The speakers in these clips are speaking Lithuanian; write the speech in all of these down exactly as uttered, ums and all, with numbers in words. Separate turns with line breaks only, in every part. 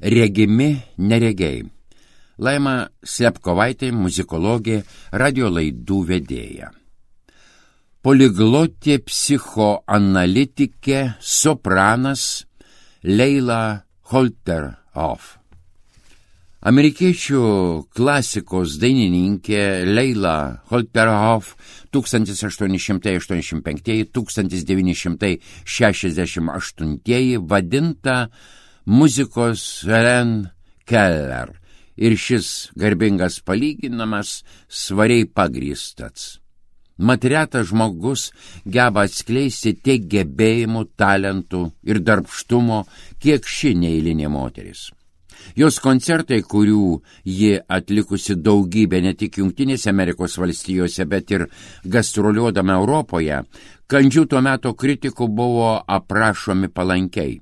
Regimi neregiai. Laima Slepkovaitė, muzikologė, radio laidų vedėja. Poliglotė psichoanalitikė, sopranas Leila Holterhoff. Amerikiečių klasikos dainininkė Leila Holterhoff tūkstantis aštuoni šimtai aštuoniasdešimt penktieji - tūkstantis devyni šimtai šešiasdešimt aštuntieji vadinta muzikos Helen Keller ir šis garbingas palyginamas svariai pagrįstas. Mat retas žmogus geba atskleisti tiek gebėjimų, talentų ir darbštumo, kiek ši neeilinė moteris. Jos koncertai, kurių ji atlikusi daugybę ne tik Jungtinėse Amerikos valstijose, bet ir gastroliuodama Europoje, kandžių tuo metu kritikų buvo aprašomi palankiai.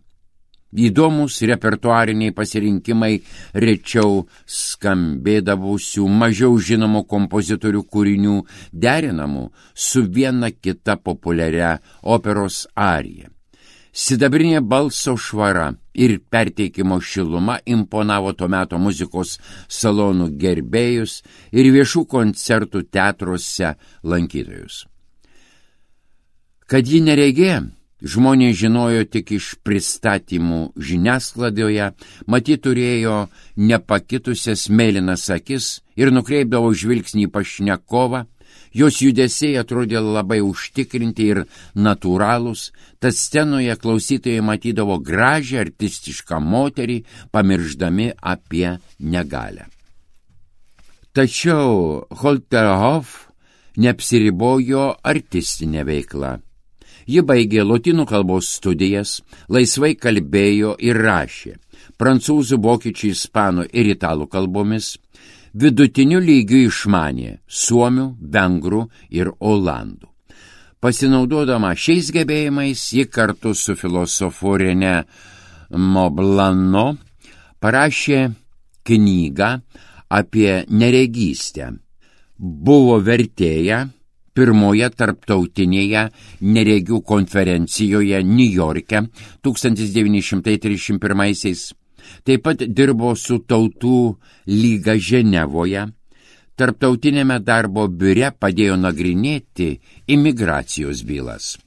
Įdomus repertuariniai pasirinkimai rečiau skambėdavusių mažiau žinomų kompozitorių kūrinių derinamų su viena kita populiaria operos arija. Sidabrinė balso švara ir perteikimo šiluma imponavo to meto muzikos salonų gerbėjus ir viešų koncertų teatruose lankytojus. Kad ji neregė, žmonės žinojo tik iš pristatymų žiniasklaidoje, matyt turėjo nepakitusias mėlynas akis ir nukreipdavo žvilgsnį į pašnekovą. Jos judesiai atrodė labai užtikrinti ir natūralūs, tad scenoje klausytojai matydavo gražią artistišką moterį, pamirždami apie negalią. Tačiau Holterhoff neapsiribojo artistinė veikla. Ji baigė lotynų kalbos studijas, laisvai kalbėjo ir rašė prancūzų, vokiečių, ispanų ir italų kalbomis, vidutiniu lygiu išmanė suomių, vengrų ir olandų. Pasinaudodama šiais gebėjimais, ji kartu su filosofu René Moblano parašė knygą apie neregystę. Buvo vertėja pirmoje tarptautinėje neregių konferencijoje Niujorke tūkstantis devyni šimtai trisdešimt pirmaisiais. Taip pat dirbo su Tautų lyga Ženevoje. Tarptautinėme darbo biure padėjo nagrinėti imigracijos bylas.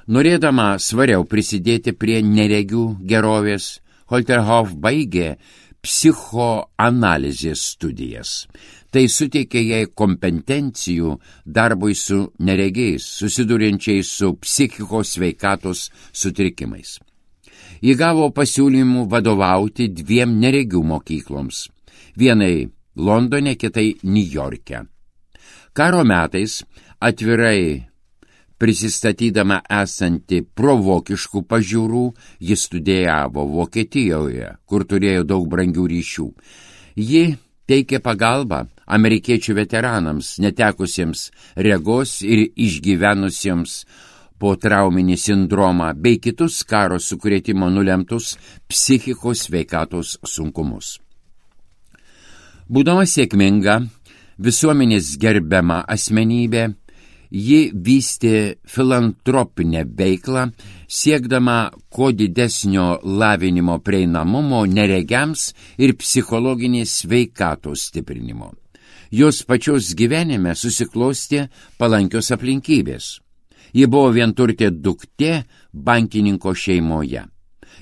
Norėdama svariau prisidėti prie neregių gerovės, Holterhoff baigė psichoanalizės studijas. Tai suteikė jai kompetencijų darbui su neregiais, susiduriančiais su psichikos sveikatos sutrikimais. Ji gavo pasiūlymų vadovauti dviem neregių mokykloms, vienai Londone, kitai Niujorke. Karo metais atvirai prisistatydama esanti provokiškų pažiūrų, ji studijavo Vokietijoje, kur turėjo daug brangių ryšių. Ji teikė pagalbą amerikiečių veteranams, netekusiems regos ir išgyvenusiems po trauminį sindromą bei kitus karo sukrėtimo nulemtus psichikos sveikatos sunkumus. Būdama sėkminga, visuomenės gerbiama asmenybė, ji vystė filantropinę veiklą, siekdama kuo didesnio lavinimo prieinamumo neregiams ir psichologinės sveikatos stiprinimo. Jos pačios gyvenime susiklostė palankios aplinkybės. Ji buvo vienturtė duktė bankininko šeimoje.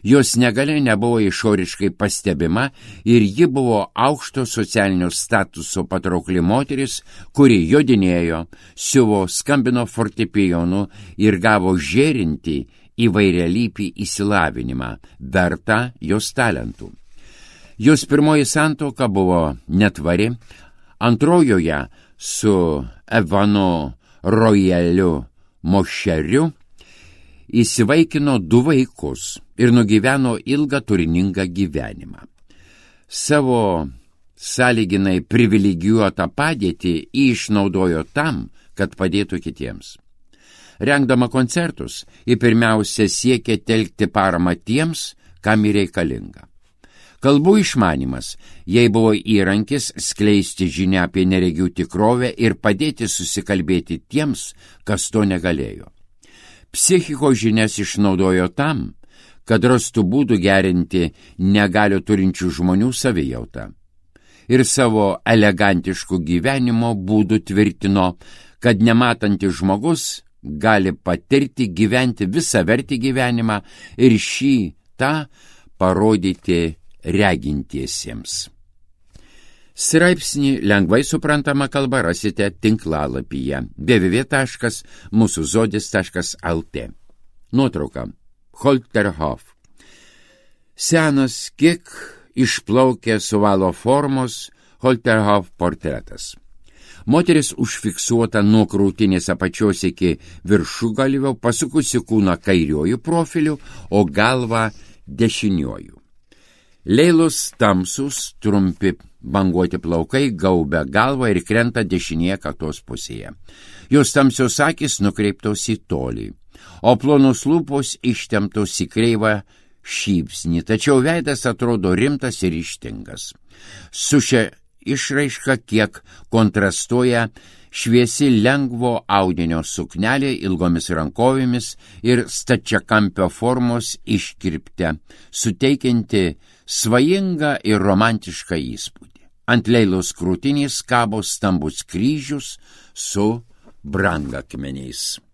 Jos negalia nebuvo išoriškai pastebima ir ji buvo aukšto socialinio statuso patraukli moteris, kuri jodinėjo, siuvo, skambino fortepijonu ir gavo žėrinti įvairialypį išsilavinimą, vertą jos talentų. Jos pirmoji santuoka buvo netvari, antrojoje su Evanu Royaliu Mošeriu įsivaikino du vaikus ir nugyveno ilgą turiningą gyvenimą. Savo sąlyginai privilegijuotą padėtį išnaudojo tam, kad padėtų kitiems. Rengdama koncertus, ji pirmiausia siekė telkti paramą tiems, kam ji reikalinga. Kalbų išmanimas jai buvo įrankis skleisti žinią apie neregių tikrovę ir padėti susikalbėti tiems, kas to negalėjo. Psichikos žinias išnaudojo tam, kad rastų būdų gerinti negalią turinčių žmonių savijautą. Ir savo elegantiškų gyvenimo būdų tvirtino, kad nematantis žmogus gali patirti gyventi visavertį gyvenimą ir šį tą parodyti regintiesiems. Straipsnį lengvai suprantama kalba rasite tinklalapyje w w w taškas mūsų žodis taškas l t. Nuotrauka. Holterhof. Senas, kiek išplaukęs ovalo formos Holterhof portretas. Moteris užfiksuota nuo krūtinės apačios iki viršugalvio, pasukusi kūną kairiuoju profiliu, o galvą dešiniuoju. Leilos tamsus, trumpi banguoti plaukai gaubia galvą ir krenta dešinėje kaktos pusėje. Jos tamsios akys nukreiptos į tolį, o plonos lūpos ištemptos į kreivą šypsnį, tačiau veidas atrodo rimtas ir ryžtingas. Su šia išraiška kiek kontrastuoja šviesi lengvo audinio suknelė ilgomis rankovėmis ir stačiakampio formos iškirpte, suteikianti svajingą ir romantišką įspūdį. Ant Leilos krūtinės kabo stambus kryžius su brangakmeniais.